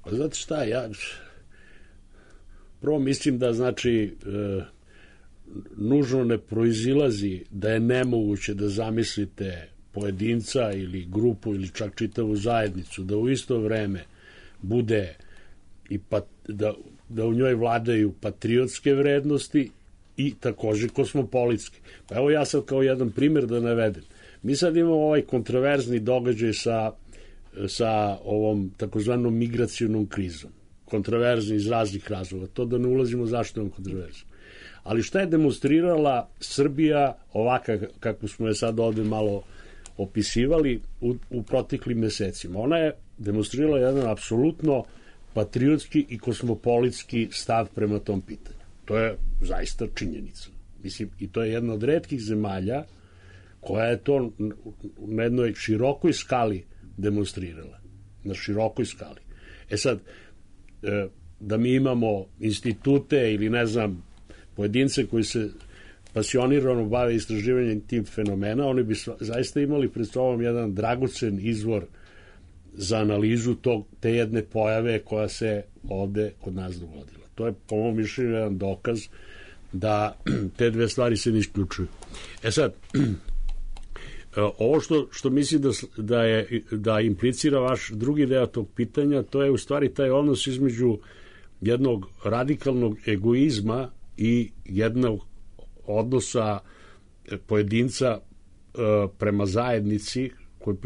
Pa znate šta, ja prvo mislim da znači e, nužno ne proizilazi da je nemoguće da zamislite pojedinca ili grupu ili čak čitavu zajednicu da u isto vreme bude i pat, da, da u njoj vladaju patriotske vrednosti i takođe kosmopolitske. Pa evo ja sad kao jedan primjer da navedem. Mi sad imamo ovaj kontroverzni događaj sa, sa ovom takozvanom migracionom krizom. Kontroverzni iz raznih razloga. To da ne ulazimo zašto je on kontroverzni. Ali šta je demonstrirala Srbija ovaka kako smo je sad ovde malo opisivali u, u proteklim mesecima? Ona je demonstrirala jedan apsolutno patriotski i kosmopolitski stav prema tom pitanju. To je zaista činjenica. Mislim, i to je jedna od retkih zemalja koja je to na jednoj širokoj skali demonstrirala. Na širokoj skali. E sad, da mi imamo institute ili ne znam, pojedince koji se pasionirano bave istraživanjem tih fenomena, oni bi zaista imali pred sobom jedan dragocen izvor za analizu tog, te jedne pojave koja se ovde kod nas dogodila. To je, po mom mišljenju, jedan dokaz da te dve stvari se ne isključuju. E sad, ovo što, što mislim da, da, je, da implicira vaš drugi deo tog pitanja, to je u stvari taj odnos između jednog radikalnog egoizma i jednog odnosa pojedinca prema zajednici koji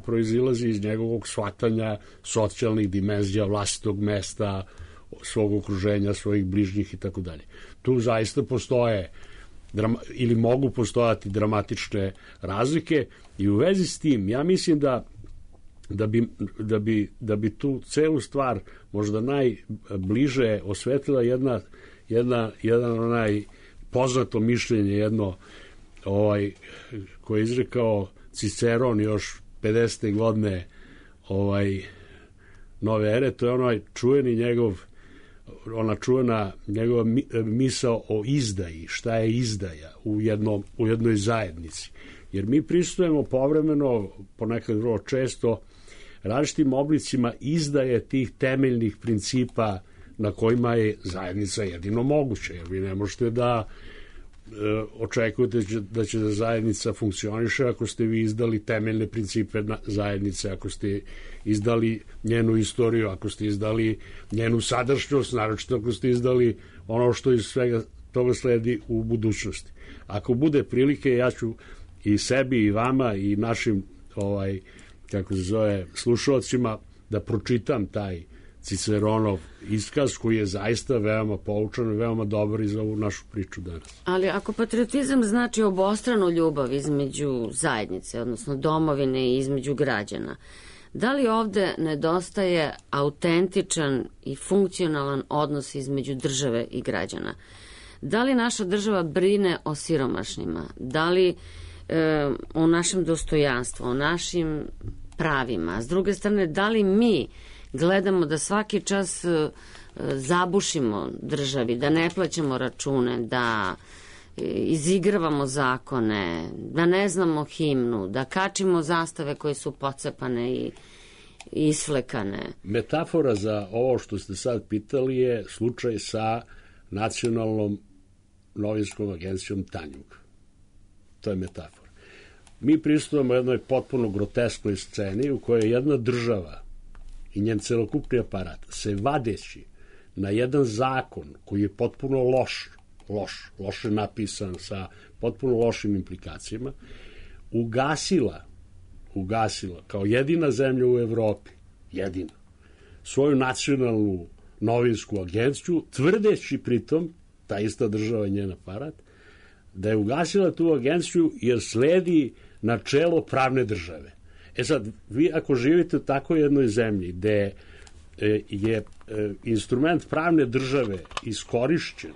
proizilazi iz njegovog shvatanja socijalnih dimenzija, vlastitog mesta, svog okruženja, svojih bližnjih i tako dalje. Tu zaista postoje drama, ili mogu postojati dramatične razlike i u vezi s tim ja mislim da da bi, da bi, da bi tu celu stvar možda najbliže osvetlila jedna, jedna, jedan onaj poznato mišljenje, jedno ovaj, koje je izrekao Ciceron još pedesete godine ovaj, nove ere, to je onaj čuveni njegov ona čuvena njegova misao o izdaji, šta je izdaja u, jednom, u jednoj zajednici. Jer mi pristupujemo povremeno, ponekad vrlo često, različitim oblicima izdaje tih temeljnih principa na kojima je zajednica jedino moguća. Jer vi ne možete da očekujete da će da zajednica funkcioniše ako ste vi izdali temeljne principe zajednice, ako ste izdali njenu istoriju, ako ste izdali njenu sadašnjost, naročito ako ste izdali ono što iz svega toga sledi u budućnosti. Ako bude prilike, ja ću i sebi i vama i našim ovaj, kako se zove, slušalcima da pročitam taj Ciceronov iskaz koji je zaista veoma poučan i veoma dobar i za ovu našu priču danas. Ali ako patriotizam znači obostranu ljubav između zajednice, odnosno domovine i između građana, da li ovde nedostaje autentičan i funkcionalan odnos između države i građana? Da li naša država brine o siromašnima? Da li e, o našem dostojanstvu, o našim pravima? S druge strane, da li mi gledamo da svaki čas e, zabušimo državi, da ne plaćamo račune, da izigravamo zakone, da ne znamo himnu, da kačimo zastave koje su pocepane i isflekane? Metafora za ovo što ste sad pitali je slučaj sa nacionalnom novinskom agencijom Tanjug. To je metafora. Mi pristupamo jednoj potpuno grotesknoj sceni u kojoj jedna država i njen celokupni aparat se vadeći na jedan zakon koji je potpuno loš, loš, loše napisan sa potpuno lošim implikacijama, ugasila, ugasila kao jedina zemlja u Evropi, jedina, svoju nacionalnu novinsku agenciju, tvrdeći pritom, ta ista država i njen aparat, da je ugasila tu agenciju jer sledi načelo pravne države. E sad, vi ako živite u takvoj jednoj zemlji gde je instrument pravne države iskorišćen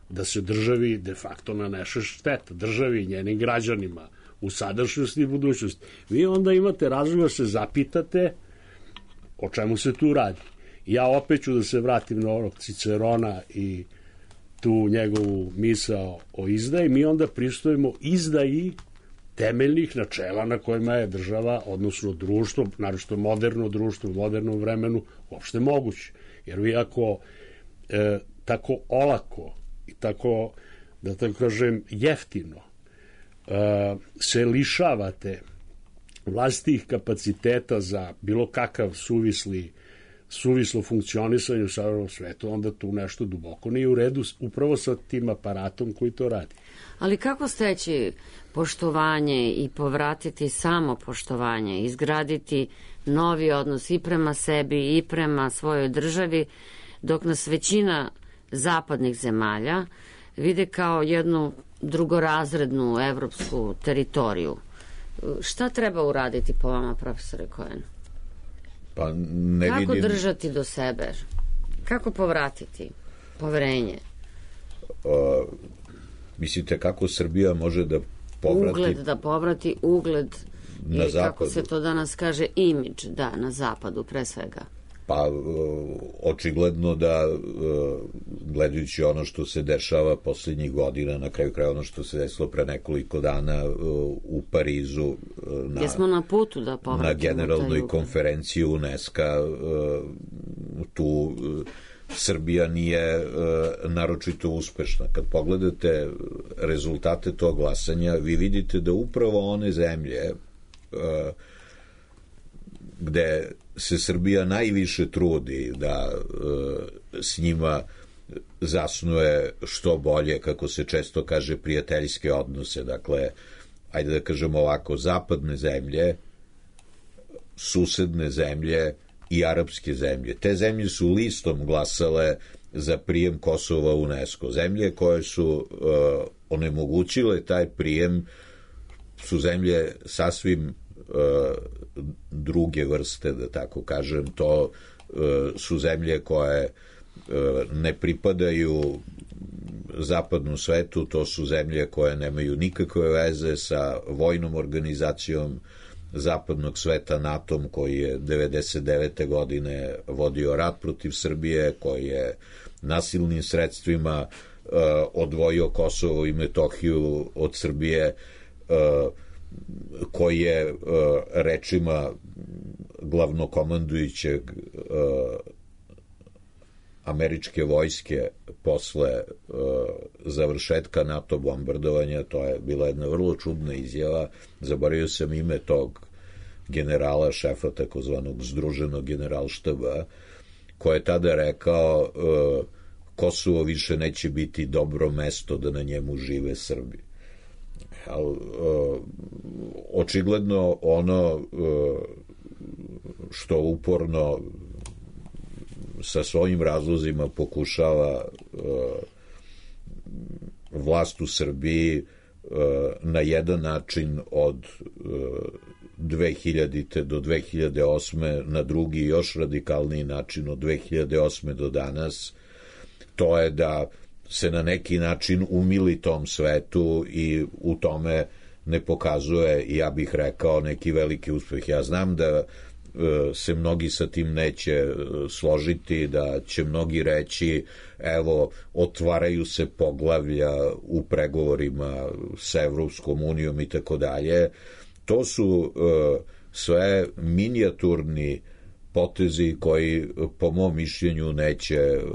da se državi de facto naneše šteta, državi i njenim građanima u sadašnjosti i budućnosti, vi onda imate razlog da se zapitate o čemu se tu radi. Ja opet ću da se vratim na onog Cicerona i tu njegovu misao o izdaji. Mi onda pristupimo izdaji temeljnih načela na kojima je država, odnosno društvo, naročito moderno društvo u modernom vremenu, uopšte moguće. Jer vi ako e, tako olako i tako, da tako kažem, jeftino e, se lišavate vlastitih kapaciteta za bilo kakav suvisli suvislo funkcionisanje u savremenom svetu, onda tu nešto duboko nije u redu upravo sa tim aparatom koji to radi. Ali kako steći poštovanje i povratiti samo poštovanje, izgraditi novi odnos i prema sebi i prema svojoj državi, dok nas većina zapadnih zemalja vide kao jednu drugorazrednu evropsku teritoriju? Šta treba uraditi po vama, profesore Cohen? Pa ne Kako vidim... držati do sebe? Kako povratiti poverenje? Uh, mislite kako Srbija može da povrati... Ugled, da povrati ugled, na i zapadu. Kako se to danas kaže, imidž, da, na zapadu pre svega. Pa očigledno da gledajući ono što se dešava posljednjih godina, na kraju kraja ono što se desilo pre nekoliko dana u Parizu na, Jesmo na putu da povratimo na generalnoj konferenciji UNESCO-a, tu Srbija nije naročito uspešna. Kad pogledate rezultate tog glasanja, vi vidite da upravo one zemlje gde se Srbija najviše trudi da e, s njima zasnuje što bolje, kako se često kaže, prijateljske odnose. Dakle, ajde da kažemo ovako, zapadne zemlje, susedne zemlje i arapske zemlje. Te zemlje su listom glasale za prijem Kosova u UNESCO. Zemlje koje su e, onemogućile taj prijem su zemlje sasvim druge vrste, da tako kažem. To su zemlje koje ne pripadaju zapadnom svetu, to su zemlje koje nemaju nikakve veze sa vojnom organizacijom zapadnog sveta, NATO-om, koji je devedeset devete godine vodio rat protiv Srbije, koji je nasilnim sredstvima odvojio Kosovo i Metohiju od Srbije, koji je uh, rečima glavnokomandujućeg uh, američke vojske posle uh, završetka NATO bombardovanja. To je bila jedna vrlo čudna izjava. Zaboravio sam ime tog generala, šefa takozvanog združenog generalštaba, koji je tada rekao uh, Kosovo više neće biti dobro mesto da na njemu žive Srbi. Al, uh, očigledno ono uh, što uporno sa svojim razlozima pokušava uh, vlast u Srbiji uh, na jedan način od uh, dve hiljadite do dve hiljade osme, na drugi još radikalniji način od dve hiljade osme do danas, to je da se na neki način umili tom svetu i u tome ne pokazuje, ja bih rekao, neki veliki uspeh. Ja znam da se mnogi sa tim neće složiti, da će mnogi reći evo, otvaraju se poglavlja u pregovorima sa Evropskom unijom i tako dalje. To su sve minijaturni potezi koji po mom mišljenju neće uh,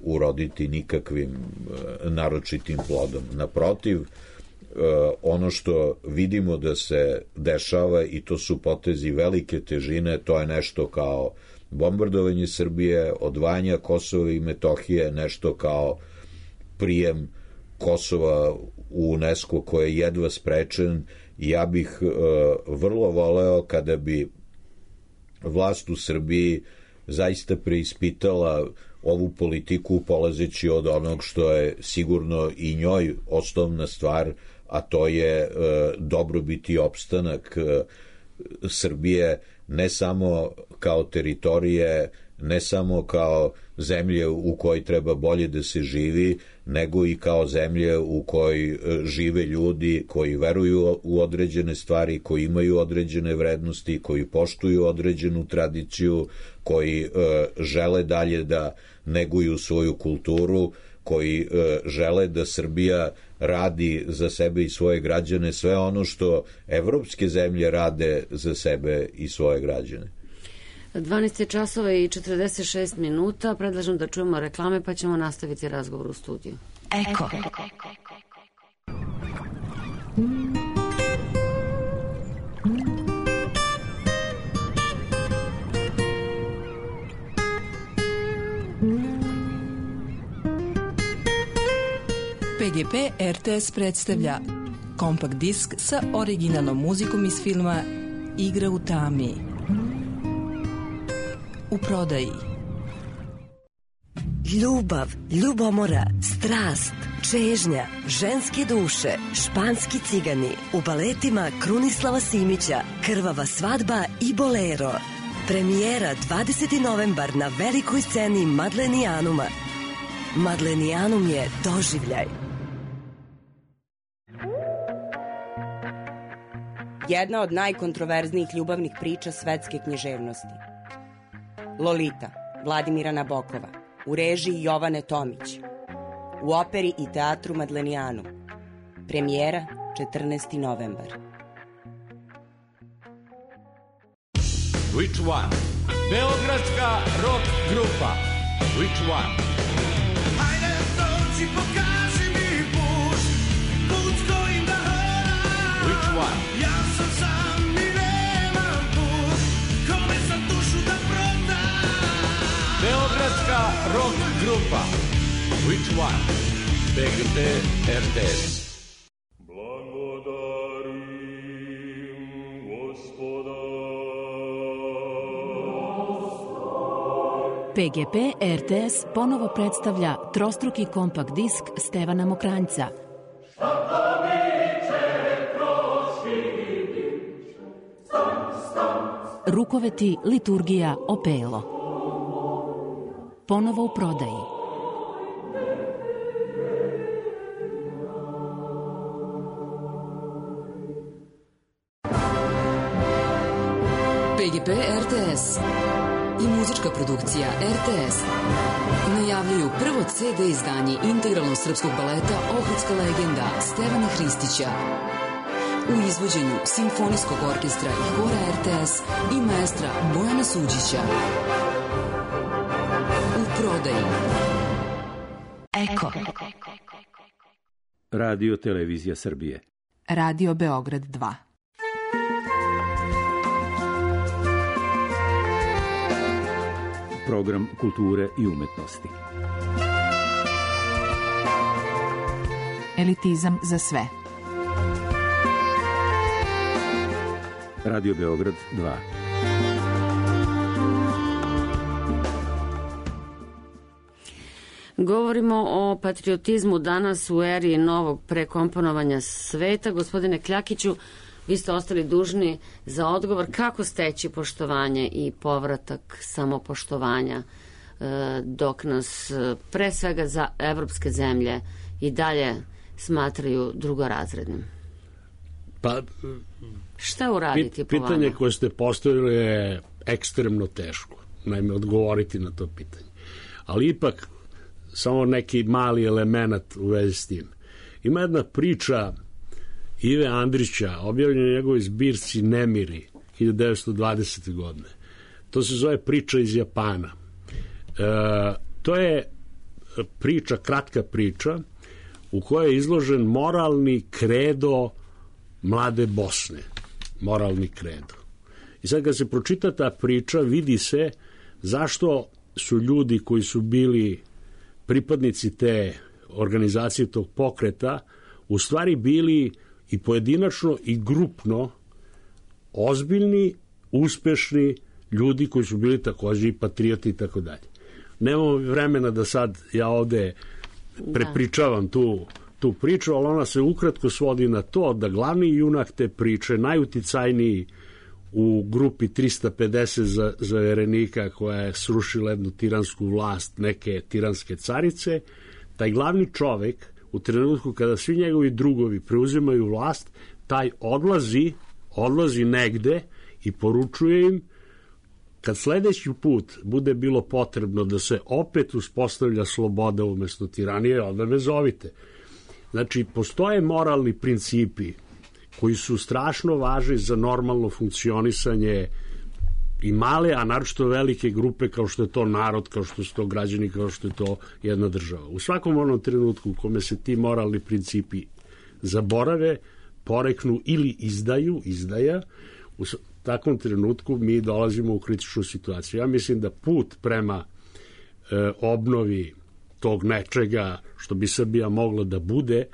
uroditi nikakvim uh, naročitim plodom. Naprotiv, uh, ono što vidimo da se dešava, i to su potezi velike težine, to je nešto kao bombardovanje Srbije, odvajanje Kosova i Metohije, nešto kao prijem Kosova u UNESCO koji je jedva sprečen. Ja bih uh, vrlo voleo kada bi vlast u Srbiji zaista preispitala ovu politiku polazeći od onog što je sigurno i njoj osnovna stvar, a to je e, dobrobit i opstanak e, Srbije, ne samo kao teritorije, ne samo kao zemlje u kojoj treba bolje da se živi, nego i kao zemlje u kojoj žive ljudi koji veruju u određene stvari, koji imaju određene vrednosti, koji poštuju određenu tradiciju, koji e, žele dalje da neguju svoju kulturu, koji e, žele da Srbija radi za sebe i svoje građane sve ono što evropske zemlje rade za sebe i svoje građane. dvanaest časova i četrdeset šest minuta. Predlažem da čujemo reklame, pa ćemo nastaviti razgovor u studiju. Eko. P G P R T S predstavlja kompakt disk sa originalnom muzikom iz filma Igra u tami. U prodaji. Ljubav, ljubomora, strast, čežnja, ženske duše, španski cigani, u baletima Krunislava Simića, Krvava svadba i Bolero. Premijera dvadeseti novembar na velikoj sceni Madlenijanuma. Madlenijanum je doživljaj. Jedna od najkontroverznijih ljubavnih priča svetske književnosti. Lolita, Vladimira Nabokova, u režiji Jovane Tomić, u operi i teatru Madlenijanum. Premijera četrnaesti novembar. Which one? Beogradska rock grupa. Which one? Hajde dođi, pokaži mi put, put kojim da hodam. Which one? Ja sam sam i nemam put, kome sam dušu da prodam. Beogradska rock grupa. Which one? P G P R T S. P G P R T S ponovo predstavlja trostruki kompakt disk Stevana Mokranjca. Rukoveti, liturgija, opelo. Ponovo u prodaji. P G P R T S i muzička produkcija R T S najavljuju prvo C D izdanje integralnog srpskog baleta Ohridska legenda Stevana Hristića u izvođenju Simfonijskog orkestra i hora R T S i maestra Bojana Suđića. U prodaji. Eko. Radio Televizija Srbije. Radio Beograd dva. Program kulture i umetnosti. Elitizam za sve. Radio Beograd dva. Govorimo o patriotizmu danas u eri novog prekomponovanja sveta. Gospodine Kljakiću, vi ste ostali dužni za odgovor kako steći poštovanje i povratak samopoštovanja dok nas pre svega za evropske zemlje i dalje smatraju drugorazrednim. Pa, šta uraditi po vama? Pitanje koje ste postavili je ekstremno teško, naime odgovoriti na to pitanje. Ali ipak samo neki mali element u vezi s tim. Ima jedna priča Ive Andrića, objavljena u njegovoj zbirci Nemiri hiljadu devetsto dvadesete. godine. To se zove Priča iz Japana. E, to je priča, kratka priča u kojoj je izložen moralni kredo mlade Bosne. Moralni kredo. I sad kad se pročita ta priča, vidi se zašto su ljudi koji su bili pripadnici te organizacije, tog pokreta, u stvari bili i pojedinačno i grupno ozbiljni, uspešni ljudi koji su bili takođe i patrioti i tako dalje. Nemamo vremena da sad ja ovde prepričavam tu, tu priču, ali ona se ukratko svodi na to da glavni junak te priče, najuticajniji u grupi trista pedeset zaverenika koja je srušila jednu tiransku vlast neke tiranske carice, taj glavni čovek u trenutku kada svi njegovi drugovi preuzimaju vlast, taj odlazi, odlazi negde i poručuje im kad sledeći put bude bilo potrebno da se opet uspostavlja sloboda umesto tiranije, onda me zovite. Znači, postoje moralni principi koji su strašno važni za normalno funkcionisanje i male, a naročito velike grupe kao što je to narod, kao što su to građani, kao što je to jedna država. U svakom onom trenutku u kome se ti moralni principi zaborave, poreknu ili izdaju, izdaja, u takvom trenutku mi dolazimo u kritičnu situaciju. Ja mislim da put prema e, obnovi tog nečega što bi Srbija mogla da bude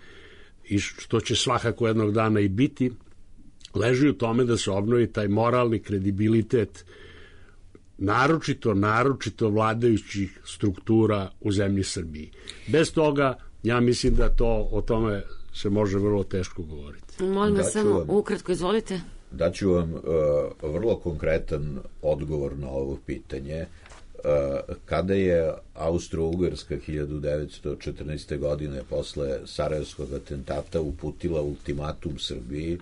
i što će svakako jednog dana i biti, leži u tome da se obnovi taj moralni kredibilitet naročito, naročito vladajućih struktura u zemlji Srbiji. Bez toga, ja mislim da to o tome se može vrlo teško govoriti. Molim vas samo ukratko, izvolite. Daću vam uh, vrlo konkretan odgovor na ovo pitanje. Uh, kada je Austro-Ugarska hiljadu devetsto četrnaeste. godine posle Sarajevskog atentata uputila ultimatum Srbiji, uh,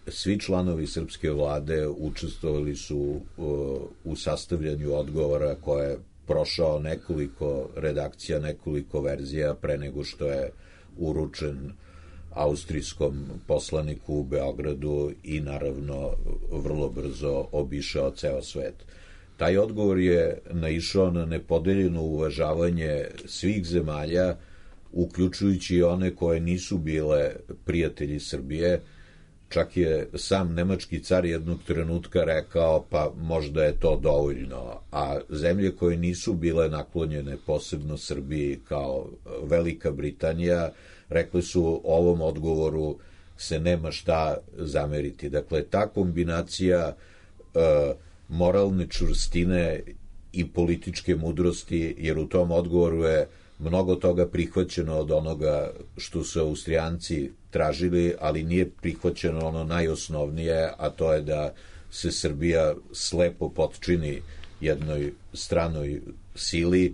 svi članovi srpske vlade učestvovali su uh, u sastavljanju odgovora koje je prošao nekoliko redakcija, nekoliko verzija pre nego što je uručen austrijskom poslaniku u Beogradu i naravno vrlo brzo obišao ceo svet. Taj odgovor je naišao na nepodeljeno uvažavanje svih zemalja, uključujući i one koje nisu bile prijatelji Srbije. Čak je sam nemački car jednog trenutka rekao pa možda je to dovoljno, a zemlje koje nisu bile naklonjene posebno Srbiji kao Velika Britanija rekli su ovom odgovoru se nema šta zameriti. Dakle, ta kombinacija uh, moralne čvrstine i političke mudrosti, jer u tom odgovoru je mnogo toga prihvaćeno od onoga što su Austrijanci tražili, ali nije prihvaćeno ono najosnovnije, a to je da se Srbija slepo potčini jednoj stranoj sili.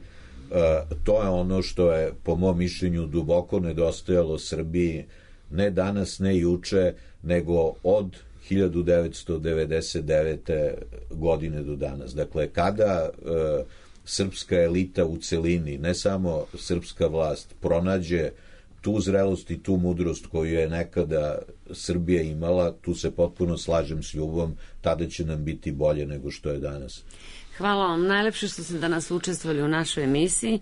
To je ono što je, po mom mišljenju, duboko nedostajalo Srbiji, ne danas, ne juče, nego od hiljadu devetsto devedeset devete. godine do danas. Dakle, kada e, srpska elita u celini, ne samo srpska vlast, pronađe tu zrelost i tu mudrost koju je nekada Srbija imala, tu se potpuno slažem s Ljubom, tada će nam biti bolje nego što je danas. Hvala vam najlepše što ste danas učestvovali u našoj emisiji.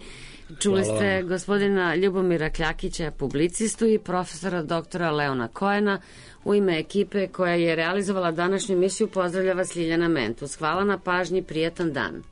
Čuli Hvala ste vam. Gospodina Ljubomira Kljakića, publicistu, i profesora doktora Leona Koena. U ime ekipe koja je realizovala današnju emisiju pozdravlja vas Ljiljana Mentus. Hvala na pažnji, prijatan dan.